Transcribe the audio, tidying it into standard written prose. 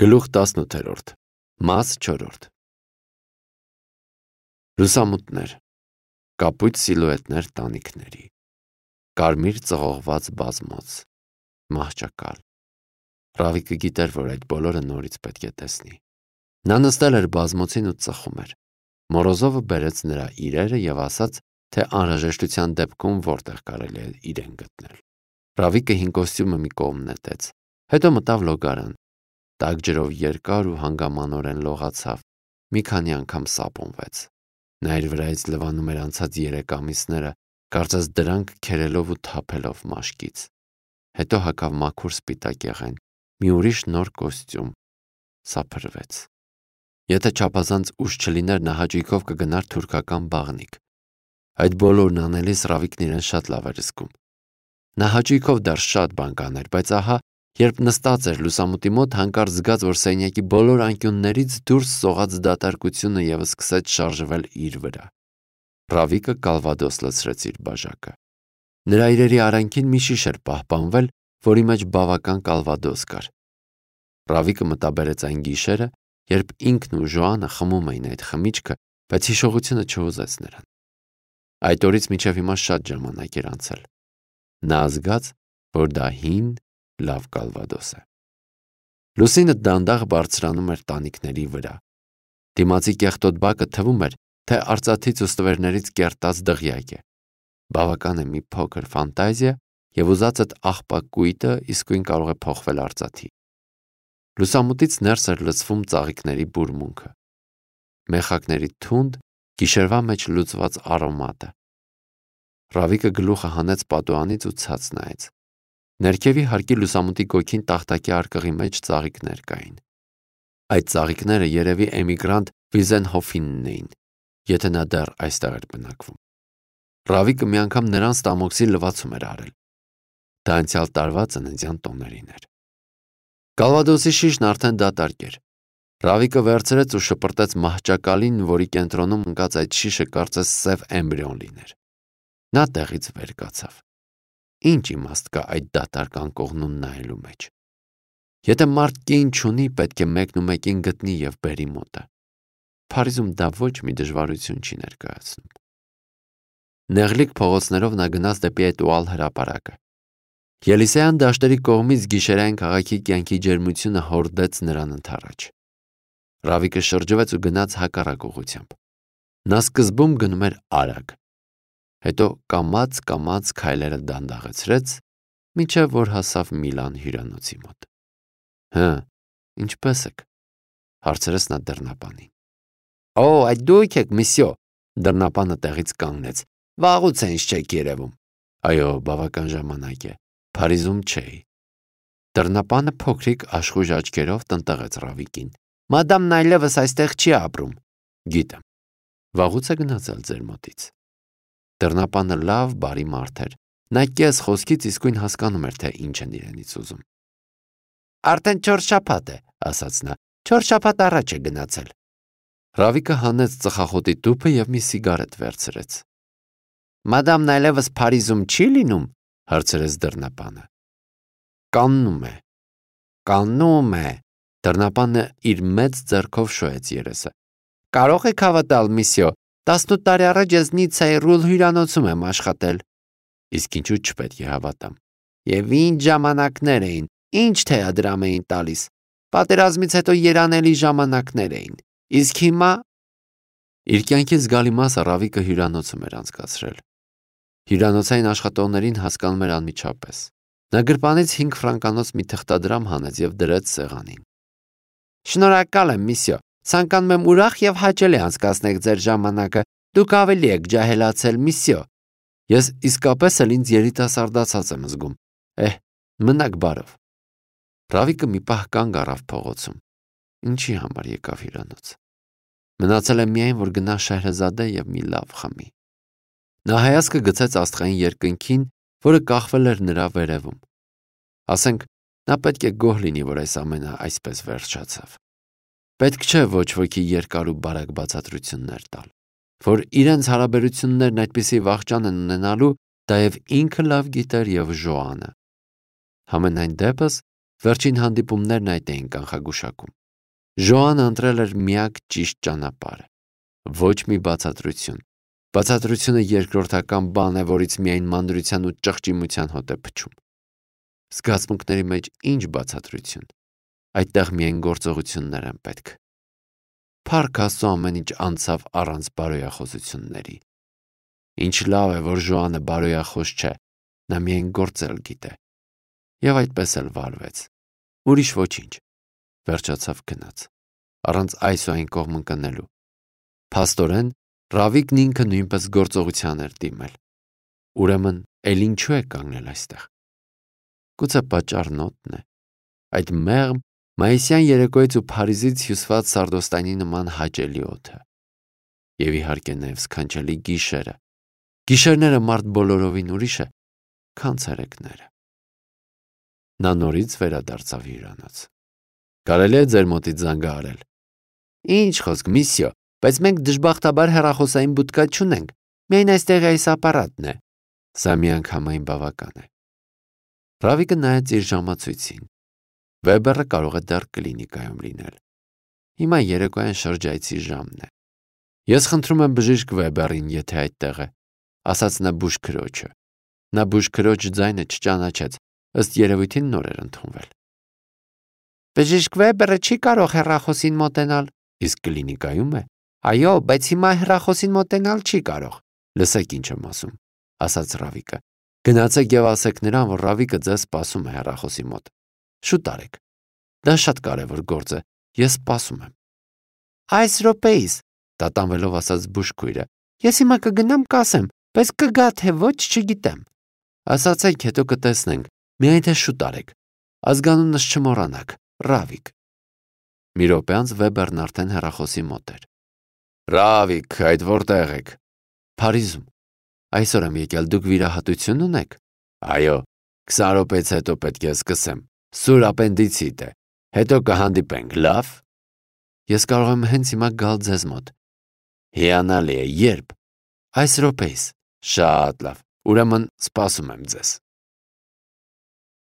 Գլուխ 18 Մաս 4 Լուսամուտներ, կապույտ սիլուետներ տանիքների, կարմիր ծղողված բազմոց, մահճակալ։ Ռավիկը գիտեր, որ այդ բոլորը նորից պետք է տեսնի։ Նա նստել էր բազմոցին ու ծխում էր։ Մորոզովը բերեց նրա իրերը և ասաց, թե անհրաժեշտության դեպքում որտեղ կարելի է իրեն գտնել։ Ռավիկը հին կոստյումը մի կողմ նետեց, հետո մտավ լոգարան։ Տաք ջրով երկար ու հանգամանորեն լողացավ, մի քանի անգամ սապոնվեց։ Նա իր վրայից լվանում էր անցած 3 ամիսները, կարծես դրանք քերելով ու թափելով մաշկից։ Հետո հագավ մաքուր սպիտակ եղեն, մի ուրիշ նոր կոստյում, սափրվեց։ Եթե չափազանց ուշ չլիներ, նա հաճույքով կգնար թուրքական բաղնիք։ Այդ բոլորն անելիս Ռավիկն իրեն շատ լավ էր զգում։ Նա հաճույքով դեռ շատ բան կաներ, բայց ահա, երբ նստած էր լուսամուտի մոտ, հանկարծ զգաց, որ սենյակի բոլոր անկյուններից դուրս սողաց դատարկությունը և սկսեց շարժվել իր վրա։ Ռավիկը կալվադոս լցրեց իր բաժակը։ Նրա իրերի արանքին մի շիշ էր պահպանվել, որի մեջ բավական կալվադոս կար։ Ռավիկը մտաբերեց այն գիշերը, երբ ինքն ու Ժոանը խմում էին այդ խմիչքը, բայց հիշողությունը չհուզեց նրան։ Այդ օրից մինչև հիմա շատ ժամանակ էր անցել։ Նա զգաց, որ դա հին, լավ կալվադոս է։ Լուսինը դանդաղ բարձրանում էր տանիքների վրա։ Դիմացի կեղտոտ բակը թվում էր, թե արծաթից ու ստվերներից կերտած դղյակ է։ Բավական է մի փոքր ֆանտազիա, և ուզածդ աղբակ կույտը իսկույն կարող է փոխվել արծաթի։ Լուսամուտից ներս էր լցվում ծաղիկների բուրմունքը, մեխակների թունդ, գիշերվա մեջ լուծված արոմատը։ Ռավիկը գլուխը հանեց պատուհանից ու ցած նայեց։ Ներքևի հարկի լուսամուտի գոգին տախտակի արկղի մեջ ծաղիկներ կային։ Այդ ծաղիկները երևի էմիգրանտ Վիզենհոֆինն էին, եթե նա դեռ այստեղ էր բնակվում։ Ռավիկը մի անգամ նրան ստամոքսի լվացում էր արել։ Դա անցյալ տարվա ծննդյան տոներին էր։ Կալվադոսի շիշն արդեն դատարկ էր։ Ռավիկը վերցրեց ու շպրտեց մահճակալին, որի կենտրոնում ընկած այդ շիշը կարծես սև էմբրիոն լիներ։ Նա տեղից վեր կացավ։ Ինչ իմաստ կա այդ դատարկ անկողնուն նայելու մեջ։ Եթե մարդ կին չունի, պետք է մեկնումեկին գտնի և բերի մոտը։ Փարիզում դա ոչ մի դժվարություն չի ներկայացնում։ Նեղլիկ փողոցներով նա գնաց դեպի Էտուալ հրապարակը։ Ելիսեյան դաշտերի կողմից գիշերային քաղաքի կյանքի ջերմությունը հորդեց նրան ընդառաջ։ Ռավիկը շրջվեց ու գնաց հակառակ ուղղությամբ։ Նա սկզբում գնում էր արագ, հետո կամաց քայլերը դանդաղեցրեց, մինչև որ հասավ Միլան հյուրանոցի մոտ։ Հը, ինչպե՞ս եք, հարցրեց նա դռնապանին։ Օ, այդ դուք եք, միսյո, դռնապանը տեղից կանգնեց։ Վաղուց է ինձ չեք երևում։ Այո, բավական ժամանակ է, Փարիզում չէի։ Դռնապանը փոքրիկ աշխույժ աչքերով տնտղեց Ռավիկին։ Մադամն այլևս այստեղ չի ապրում։ Գիտեմ։ Վաղուց է գնացել ձեր մոտից։ Դռնապանը լավ, բարի մարդ էր։ Նա կես խոսքից իսկույն հասկանում էր, թե ինչ են իրենից ուզում։ Արդեն 4 շաբաթ է, ասաց նա։ 4 շաբաթ առաջ է գնացել։ Ռավիկը հանեց ծխախոտի տուփը և մի սիգարետ վերցրեց։ Մադամն այլևս Փարիզում չի լինում, հարցրեց դռնապանը։ Կաննում է։ Կաննում է։ Դռնապանը իր մեծ ձեռքով շոյեց երեսը։ Կարող եք հավատալ, միսյո, 18 տարի առաջ ես Նիցայի Ռուլ հյուրանոցում եմ աշխատել։ Իսկ ինչու չպետք է հավատամ։ Եվ ինչ ժամանակներ էին, ինչ թեադրամ էին տալիս։ Պատերազմից հետո երանելի ժամանակներ էին։ Իսկ հիմա… Իր կյանքի զգալի մասը Ռավիկը հյուրանոցում էր անցկացրել։ Հյուրանոցային աշխատողներին հասկանում էր անմիջապես։ Նա գրպանից 5 ֆրանկանոց մի թղթադրամ հանեց և դրեց սեղանին։ Շնորհակալ եմ, միսյո, ցանկանում եմ ուրախ և հաճելի անցկացնեք ձեր ժամանակը, դուք ավելի եք ջահելացել, միսյո։ Ես իսկապես էլ ինձ երիտասարդացած եմ զգում։ Մնաք բարով։ Ռավիկը մի պահ կանգ առավ փողոցում։ Ինչի համար եկավ հյուրանոց։ Մնացել է միայն, որ գնա Շահրեզադե և մի լավ խմի։ Նա հայացքը գցեց աստղային երկնքին, որը կախվել էր նրա վերևում։ Ասենք, նա պետք է գոհ լինի, որ այս ամենը այսպես վերջացավ։ Պետք չէ ոչ ոքի երկար ու բարակ բացատրություններ տալ, որ իրենց հարաբերություններն այդպիսի վախճան են ունենալու, դա և ինքը լավ գիտեր և Ժոանը։ Համենայն դեպս, Վերջին հանդիպումներն այդ էին կանխագուշակում։ Ժոանը ընտրել էր միակ ճիշտ ճանապարհը։ Ոչ մի բացատրություն։ Բացատրությունը երկրորդական բան է, որից միայն մանրության ու ճղճիմության հոտ է փչում։ Զգացմունքների մեջ ինչ բացատրություն։ Այդտեղ միայն գործողություններ են պետք։ Փառք Աստծո, ամեն ինչ անցավ առանց բարոյախոսությունների։ Ինչ լավ է, որ Ժոանը բարոյախոս չէ, նա միայն գործել գիտե։ Եվ այդպես էլ վարվեց։ Ուրիշ ոչինչ։ Վերջացավ գնաց։ Առանց այս ու այն կողմ ընկնելու։ Փաստորեն, Ռավիկն ինքը նույնպես գործողության էր դիմել։ Ուրեմն, էլ ինչու է կանգնել այստեղ։ Գուցե պատճառն օդն է։ Այդ մեղմ մայիսյան երեկոյից ու Փարիզից հյուսված Սարդոստայնի նման հաճելի օդը։ Եվ իհարկե նաև սքանչելի գիշերը։ Գիշերները մարդ բոլորովին ուրիշ է, քան ցերեկները։ Նա նորից վերադարձավ հյուրանոց։ Կարելի է ձեր մոտից զանգահարել։ Ինչ խոսք, միսյո, բայց մենք դժբախտաբար հեռախոսային բուտկա չունենք։ Միայն այստեղ այս ապարատն է։ Սա միանգամայն բավական է։ Ռավիկը նայեց իր ժամացույցին։ Վեբերը կարող է դեռ կլինիկայում լինել։ Հիմա երեկոյան շրջայցի ժամն է։ Ես խնդրում եմ բժիշկ Վեբերին, եթե այդտեղ է, ասաց նա բուժքրոջը։ Նա բուժքրոջ ձայնը չճանաչեց, ըստ երևույթին նոր էր ընդունվել։ Բժիշկ Վեբերը չի կարող հեռախոսին մոտենալ, իսկ կլինիկայում է։ Այո, բայց հիմա հեռախոսին մոտենալ չի կարող։ Լսեք ինչ եմ ասում, ասաց Ռավիկը։ Գնացեք եւ ասեք նրան, որ Ռավիկը ձեզ սպասում է հեռախոսի մոտ։ Շուտ արեք։ Դա շատ կարևոր գործ է։ Ես սպասում եմ։ Այս րոպեիս, տատանվելով ասաց բուժքույրը։ Ես հիմա կգնամ կասեմ, բայց կգա թե ոչ չգիտեմ։ Ասացեք, հետո կտեսնենք։ Միայն թե շուտ արեք։ Ազգանունս չմոռանաք, Ռավիկ։ Մի րոպե անց Վեբերն արդեն հեռախոսի մոտ էր։ Ռավիկ, այդ որտեղ եք։ Փարիզում։ Այսօր եմ եկել, դուք վիրահատություն ունեք։ Այո, 20 րոպեից հետո պետք է սկսեմ։ Սուր ապենդիցիտ է։ Հետո կհանդիպենք, լավ։ Ես կարող եմ հենց հիմա գալ ձեզ մոտ։ Հիանալի է, երբ։ Այս րոպեիս։ Շատ լավ։ Ուրեմն սպասում եմ ձեզ։